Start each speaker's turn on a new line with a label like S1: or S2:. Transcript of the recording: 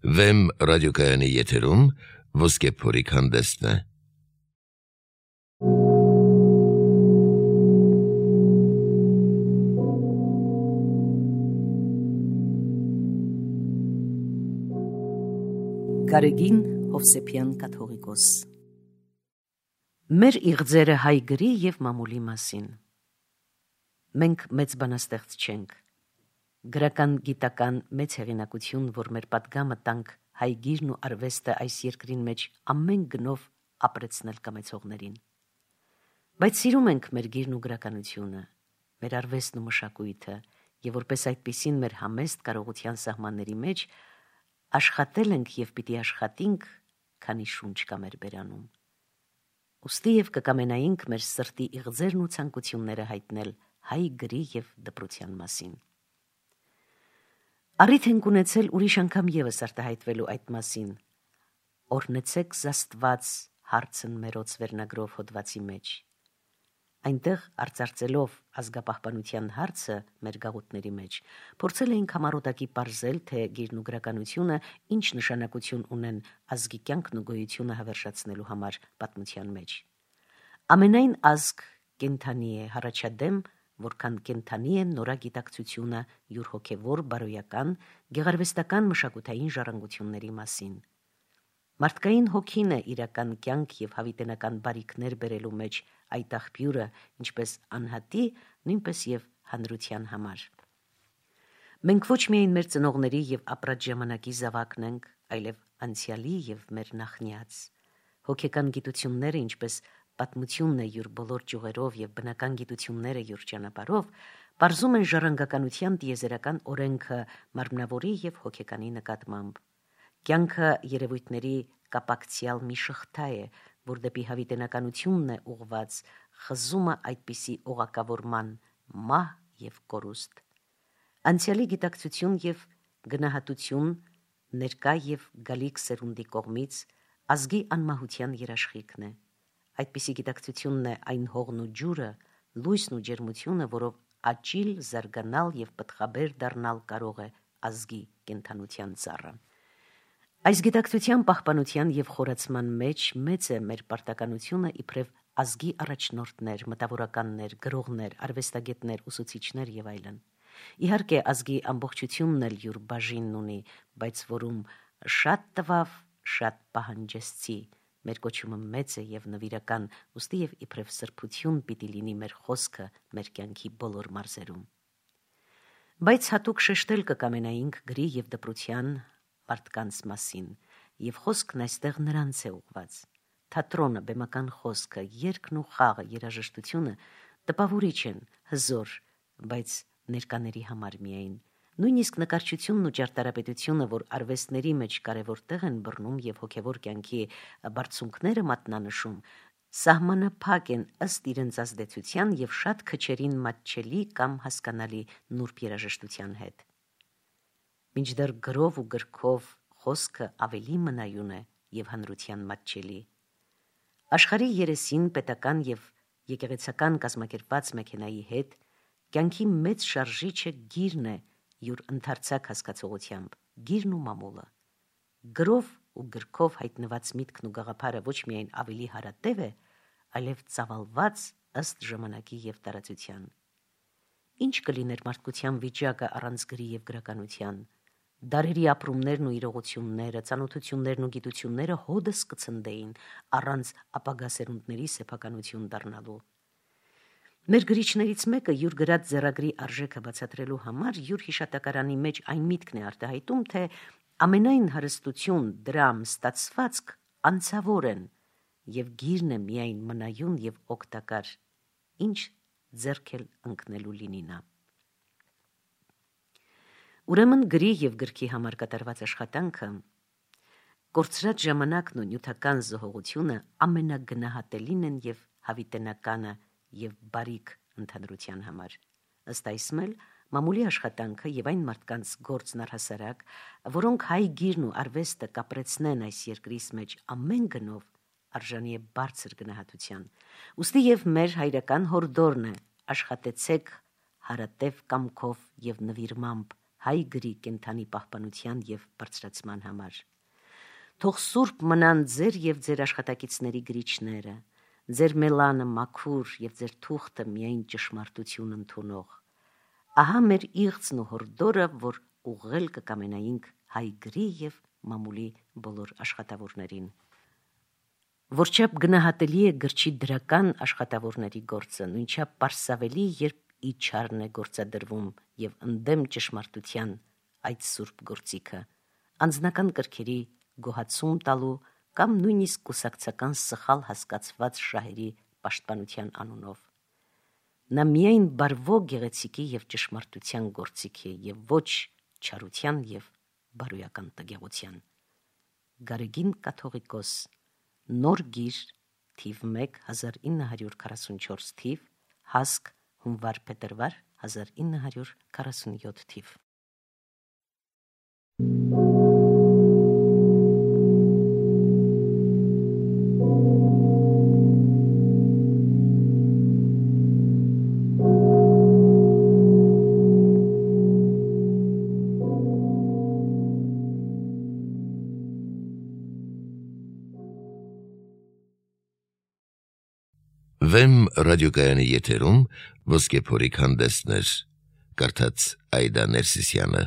S1: Վեմ ռադիոկայանի եթերում ոսկե փորիկ հանդեսն է։
S2: Գարեգին Հովսեփյան կաթողիկոս։ Մեր իղձերը հայ գրի և մամուլի մասին։ Մենք մեծ բանաստեղծ չենք։ Գրական գիտական մեծ հեղինակություն, որ մեր պատգամը տանք հայ գիրն ու արվեստը այս երկրին մեջ ամեն գնով ապրեցնել կամեցողներին։ Բայց սիրում ենք մեր գիրն ու գրականությունը, մեր արվեստն ու մշակույթը, և որպես այդպիսին մեր համեստ կարողության սահմանների մեջ աշխատել ենք և պիտի աշխատենք, քանի շունչ կա մեր բերանում։ Ուստի և կկամենայինք մեր սրտի իղձերն ու ցանկությունները հայտնել հայ գրի և դպրության մասին։ Առիթ ենք ունեցել ուրիշ անգամ ևս արտահայտվելու այդ մասին։ Օրհնեցեք Աստված հարցն մերոց վերնագրով հոդվածի մեջ։ Այնտեղ արծարծելով ազգապահպանության հարցը մեր գաղութների մեջ, փորձել էինք համառոտակի պարզել, թե գիրն ու գրականությունը ինչ նշանակություն ունեն ազգի կյանքն ու գոյությունը հավերժացնելու համար պատմության մեջ։ Ամենայն ազգ կենդանի է հառաջադեմ, որքան կենդանի է նորագիտակցությունը յուր հոգևոր, բարոյական, գեղարվեստական մշակութային ժառանգությունների մասին։ Մարդկային հոգին է իրական կյանք և հավիտենական բարիքներ բերելու մեջ այդ աղբյուրը, ինչպես անհատի, նույնպես և հանրության համար։ Մենք ոչ միայն մեր ծնողների և ապրած ժամանակի զավակն ենք, այլև անցյալի և մեր նախնյաց։ Հոգեկան գիտությունները, ինչպես պատմությունն է յուր բոլոր ճյուղերով և բնական գիտությունները յուր ճանապարհով, պարզում են ժառանգականության տիեզերական օրենքը մարմնավորի և հոգեկանի նկատմամբ։ Կյանքը երևույթների կապակցյալ մի շղթա է, որ դեպի հավիտենականությունն է ուղված, խզումը այդպիսի օղակավորման, մահ և կորուստ։ Անցյալի գիտակցություն և գնահատություն, ներկա և գալիք սերունդի կողմից ազգի անմահության երաշխիքն է։ Այդպիսի գիտակցությունն է այն հողն ու ջուրը, լույսն ու ջերմությունը, որով աճիլ, զարգանալ և պտղաբեր դառնալ կարող է ազգի կենդանության ծառը։ Այս գիտակցության պահպանության և խորացման մեջ մեծ է մեր պարտականությունը իբրև ազգի առաջնորդներ, մտավորականներ, գրողներ, արվեստագետներ, ուսուցիչներ և այլն։ Իհարկե, ազգի ամբողջությունն էլ յուր բաժինն ունի, բայց որում շատ տվավ, շատ պահանջեցի, մեր կոչումը մեծ է և նվիրական, ուստի և իբրև սրբություն պիտի լինի մեր խոսքը մեր կյանքի բոլոր մարզերում։ Բայց հատուկ շեշտել կկամենայինք գրի և դպրության մարդկանց մասին, և խոսքն այստեղ նրանց է ուղված։ Թատրոնը, բեմական խոսքը, երգն ու խաղը, երաժշտությունը տպավորիչ են, հզոր, բայց ներկաների համար միայն։ Նույնիսկ նկարչությունն ու ճարտարապետությունը, որ արվեստների մեջ կարևոր տեղ են բռնում և հոգևոր կյանքի բարձունքները մատնանշում, սահմանափակ են ըստ իրենց ազդեցության և շատ քչերին մատչելի կամ հասկանալի նուրբ երաժշտության հետ։ Մինչդեռ գրով ու գրքով խոսքը ավելի մնայուն է և հանրության մատչելի։ Աշխարհի երեսին պետական և եկեղեցական կազմակերպված մեքենայի հետ կյանքի մեծ շարժիչը գիրն է յուր ընդարձակ հասկացողությամբ, գիրն ու մամուլը։ Գրով ու գրքով հայտնված միտքն ու գաղափարը ոչ միայն ավելի հարատև է, այլև ծավալված ըստ ժամանակի և տարածության։ Ինչ կլիներ մարդկության վիճակը առանց գրի և գրականության։ Դարերի ապրումներն ու իրողությունները, ծանոթություններն ու գիտությունները հոդս կցնդեին առանց ապագա սերունդների սեփականություն դառնալու։ Մեր գրիչներից մեկը յուր գրած ձեռագրի արժեքը բացատրելու համար յուր հիշատակարանի մեջ այն միտքն է արտահայտում, թե ամենայն հարստություն, դրամ, ստացվածք անցավոր են, և գիրն է միայն մնայուն և օգտակար, ինչ ձեռք էլ ընկնելու լինի նա։ Ուրեմն գրի և գրքի համար կատարված աշխատանքը, կորցրած ժամանակն ու նյութական զոհողությունը ամենագնահատելին են և հավիտենականը և բարիք ընդհանրության համար։ Ըստ այսմ էլ մամուլի աշխատանքը և այն մարդկանց գործն առհասարակ, որոնք հայ գիրն ու արվեստը կապրեցնեն այս երկրիս մեջ ամեն գնով, արժանի է բարձր գնահատության։ Ուստի և մեր հայրական հորդորն է՝ աշխատեցեք հարատև կամքով և նվիրմամբ, հայ գրի կենթանի պահպանության և բարձրացման համար։ Թող սուրբ մնան ձեր և ձեր աշխատակիցների գրիչները, ձեր մելանը մաքուր և ձեր թուղթը միայն ճշմարտություն ընդունող։ Ահա մեր իղձն ու հորդորը, որ ուղղել կկամենայինք հայ գրի և մամուլի բոլոր աշխատավորներին։ Որչափ գնահատելի է գրչի դրական աշխատավորների գործը, նույնչափ պարսավելի, երբ իջարն է գործադրվում և ընդդեմ ճշմարտության այդ սուրբ գործիքը, անձնական կրքերի գոհացում տալու կամ նույնիսկ կուսակցական սխալ հասկացված շահերի պաշտպանության անունով։ Նա միայն բարվո գեղեցիկի և ճշմարտության գործիք է և ոչ չարության և բարոյական տգեղության։ Գարեգին կաթողիկոս, Նոր գիր, թիվ 1, 1944 թիվ, հասկ, հունվար-փետրվար 1947 թիվ։
S1: Վեմ ռադիոկայանի եթերում ոսկե փորիկ հանդեսներ, կարդաց Այդա Ներսիսյանը։